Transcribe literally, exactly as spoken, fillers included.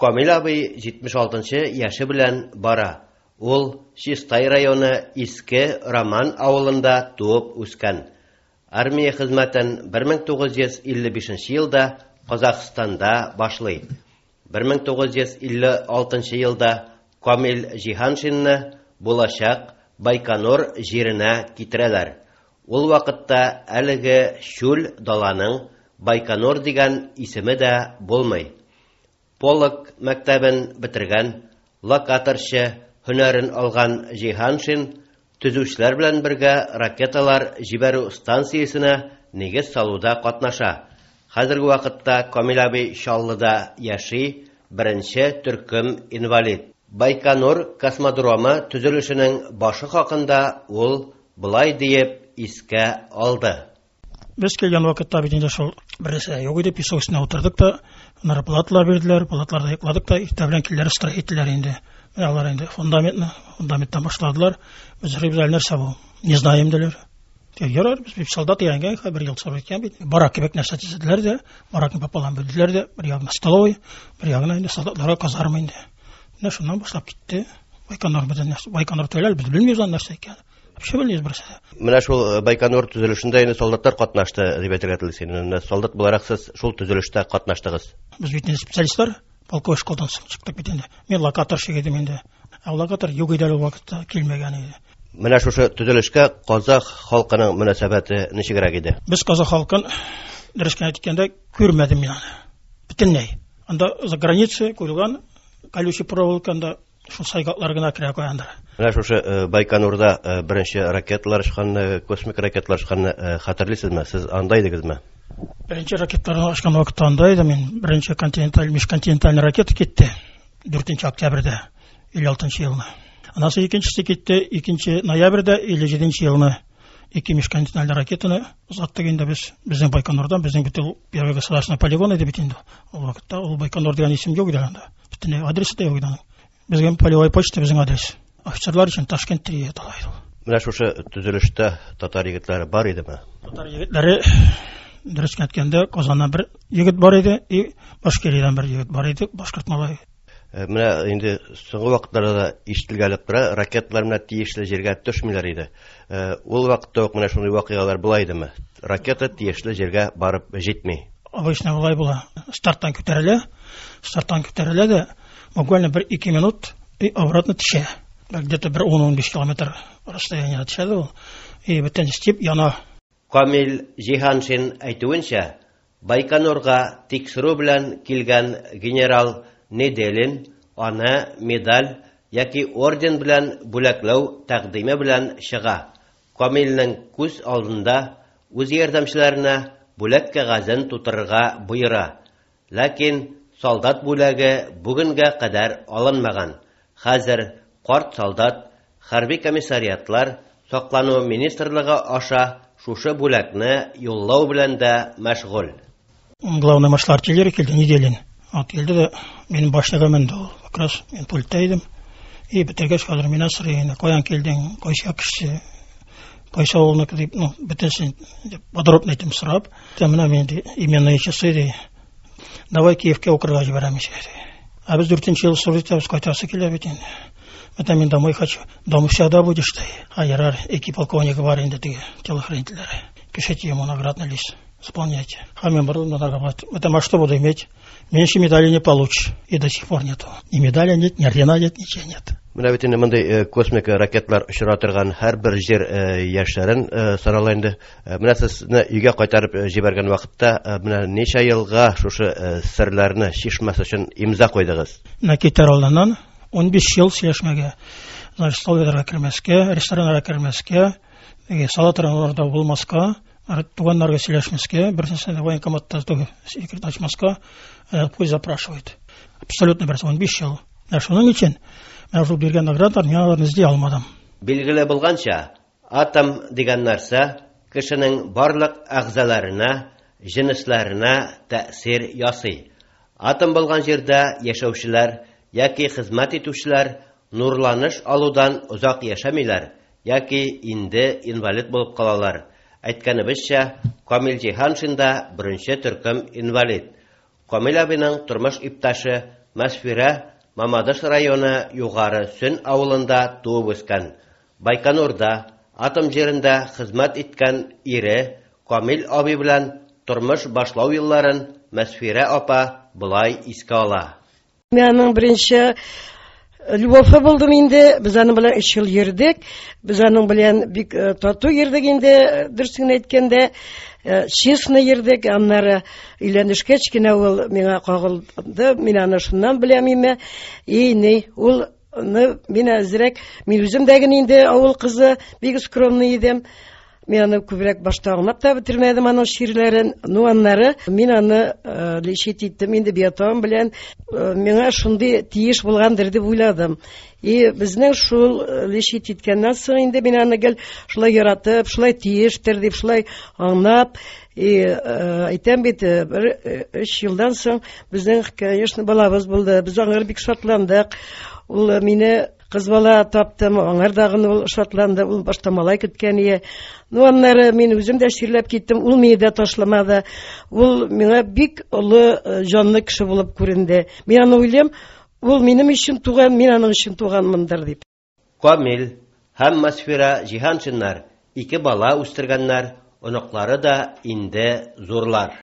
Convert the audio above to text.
Камил абый җитмеш алтынчы яше белән бара. Ул Чистай районы Иске Роман авылында туып үскән. Армия хезмәтен бер мең тугыз йөз илле бишенче елда Казахстанда башлый. бер мең тугыз йөз илле алтынчы елда Камил Җиһаншинны булачак Байконур җиренә китерәләр. Ул вакытта әлеге чүл даланың Байконур дигән исеме дә булмый. Полок мәктәбен бетергән, локаторчы һөнәрен алган Җиһаншин төзүчеләр белән бергә ракеталар җибәрү станциясенә нигез салуда катнаша. Хәзерге вакытта Камил абый Чаллыда яши, беренче төркем инвалид. Байконур космодромы төзелешенең башы хакында ул былай диеп искә алды. Без килгән вакытта бит инде шул берсе юк иде, песок өстенә утырдык та, аннары палатлар бирделәр, палатларда йокладык та, иртә белән килделәр, строительләр инде. Менә алар инде фундаментны, фундаменттан башладылар. Без сорыйбыз, әле нәрсә бу? Не знаем, диләр. Ярар, без бит солдат өйрәнгән, бер ел сорап иткән бит. Барак кебек нәрсә төзеделәр дә, баракны пополам бүлделәр дә, бер ягына столовый, бер ягына инде солдатларга казарма инде. Менә шуннан башлап китте. Байконур безнең нәрсә, Байконур түгел, без белмибез аны нәрсә икәнен. Вообще белмибез берсе дә. Менә шул, э, Байконур төзелешендә инде солдатлар катнашты дип әйтергә телисез. Менә солдат буларак сез шул төзелештә катнаштыгыз. Без бит инде специалистлар, полковой школдан соң чыктык бит инде. Мин локаторщик идем инде. Ә локатор юк иде әле ул вакытта, килмәгән иде. Менә шушы төзелешкә казах халкының мөнәсәбәте ничегрәк иде? Без казах халкын, дөрес кенә әйткәндә, күрмәдем мин аны. Бөтенләй. Анда за граница куелган колючий проволока, анда шул сайгаклар гына керә куяндыр. Менә шушы, э, Байконурда, э, беренче ракеталар очканны, космик ракеталар очканны, э, хәтерлисезме? Сез анда идегезме? Беренче ракеталарны очкан вакытта анда идем мин. Беренче континенталь, межконтинентальный ракета китте дүртенче октябрьдә илле алтынчы елны. Аннан соң икенчесе китте икенче ноябрьдә илле җиденче елны. Ике межконтинентальный ракетаны озаттык инде без. Безнең Байконурдан, безнең бит ул первый государственный полигон иде бит инде. Ул вакытта ул Байконур дигән исем юк иде анда. Бөтенләй адресы да юк иде аның. Безгә полевой почта безнең адрес. Офицерлар өчен Ташкент дип атала иде ул. Менә шушы төзелештә татар егетләре бар идеме? Татар егетләре, дөрес әйткәндә, Казаннан бер егет бар иде, и Башкириядән бер егет бар иде, башкорт малае. Э, менә инде соңгы вакытларда да ишетелгәләп тора, ракеталар менә тиешле җиргә төшмиләр иде. Э, ул вакытта ук менә шундый вакыйгалар була идеме? Ракета тиешле җиргә барып җитми. Обычно болай була. Старттан күтәрелә, старттан күтәрелә дә, буквально бер ике минут и обратно төшә. Где-то бер ун-ун биш километр расстояниедә төшә дә ул. И бөтен степ яна. Камил Җиһаншин әйтүенчә, Байконурга тикшерү белән килгән генерал Неделин аны медаль яки орден белән бүләкләү тәкъдиме белән чыга. Камилнең күз алдында үз ярдәмчеләренә бүләк кәгазен тутырырга боера. Ләкин солдат бүләге бүгенгә кадәр алынмаган. Хәзер карт солдат хәрби комиссариатлар саклану министрлыгы аша шушы бүләкне юллау белән дә мәшгуль. Главный маршал артиллерии килде, Неделин. Ат килде дә, минем башняга менде ул. Как раз мин пультта идем. И бетергәч хәзер миннән сорый инде, каян килдең, кайсы як кешесе, кайсы авылныкы дип, ну, бөтенесен дип подробно итеп сорап, менә мин ди, именные часы ди. Давай Киевкә укырга җибәрәм ди. Ә без дүртенче ел сорый итәбез, кайтасы килә бит инде. Менә мин домой хочу. Дома всегда будешь ты. А ярар, ике полковник бар инде теге телохранительләр. Пишите ему наградный лист. Исполняйте. А мин борылдым на наград. Это а что буду иметь? Меньше медали не получишь. И до сих пор нету. Ни медали нет, ни ордена нет, ничего нет. Менә бит инде мондый, э, космик ракеталар очыра торган һәрбер җир, э, яшьләрен, э, сорала инде. Э, менә сезне өйгә кайтарып, э, җибәргән вакытта, э, менә ничә елга шушы, э, серләрне чишмәс өчен имза куйдыгыз? Менә китәр алдыннан ун биш ел сөйләшмәгә, значит, столовыйларга кермәскә, рестораннарга кермәскә, теге сала торганнарда булмаска, туганнарга сөйләшмәскә, берсенә военкоматта түгел, секрет ачмаска, э, пусть запрашивает. Абсолютно берсе ун биш ел. Менә шуның өчен менә шул биргән наградалар мин аларны эзли алмадым. Билгеле булганча, атом дигән нәрсә кешенең барлык әгъзаларына, җенесләренә тәэсир ясый. Атом булган җирдә яшәүчеләр яки хезмәт итүчеләр нурланыш алудан озак яшәмиләр яки инде инвалид булып калалар. Әйткәнебезчә, Камил Җиһаншин да беренче төркем инвалид. Камил абыйның тормыш иптәше Мәсфирә Мамадыш районы Югары Сөн авылында туып үскән. Байконурда атом җирендә хезмәт иткән ире Камил абый белән тормыш башлау елларын Мәсфирә апа болай искә ала. Мин аның беренче любовы булдым инде. Без аның белән өч ел йөрдек. Без аның белән бик тату йөрдек инде, дөресен әйткәндә, честно йөрдек. Аннары өйләнешкәч кенә ул миңа кагылды. Мин аны шуннан беләм име. И ни, ул мин әзрәк, мин үзем дә генә инде авыл кызы, бик скромный идем. Мин аны күбрәк башта аңлап та бетермәдем аның чирләрен. Ну, аннары мин аны лечить иттем инде биотон белән. Миңа шундый тиеш булгандыр дип уйладым. И безнең шул лечить иткәннән соң инде мин аны гел шулай яратып, шулай тиештер дип, шулай аңлап, и әйтәм бит, бер өч елдан соң безнең, конечно, балабыз булды. Без аңар бик шатландык. Ул мине кыз бала таптым, аңар дагын ул шатланды, ул башта малай көткән ие. Ну, аннары мин үзем дә чирләп киттем, ул мине дә ташламады. Ул миңа бик олы җанлы кеше булып күренде. Мин аны уйлыйм, ул минем өчен туган, мин аның өчен туганмындыр дип. Камил һәм Мәсфирә Җиһаншиннар ике бала үстергәннәр, оныклары да инде зурлар.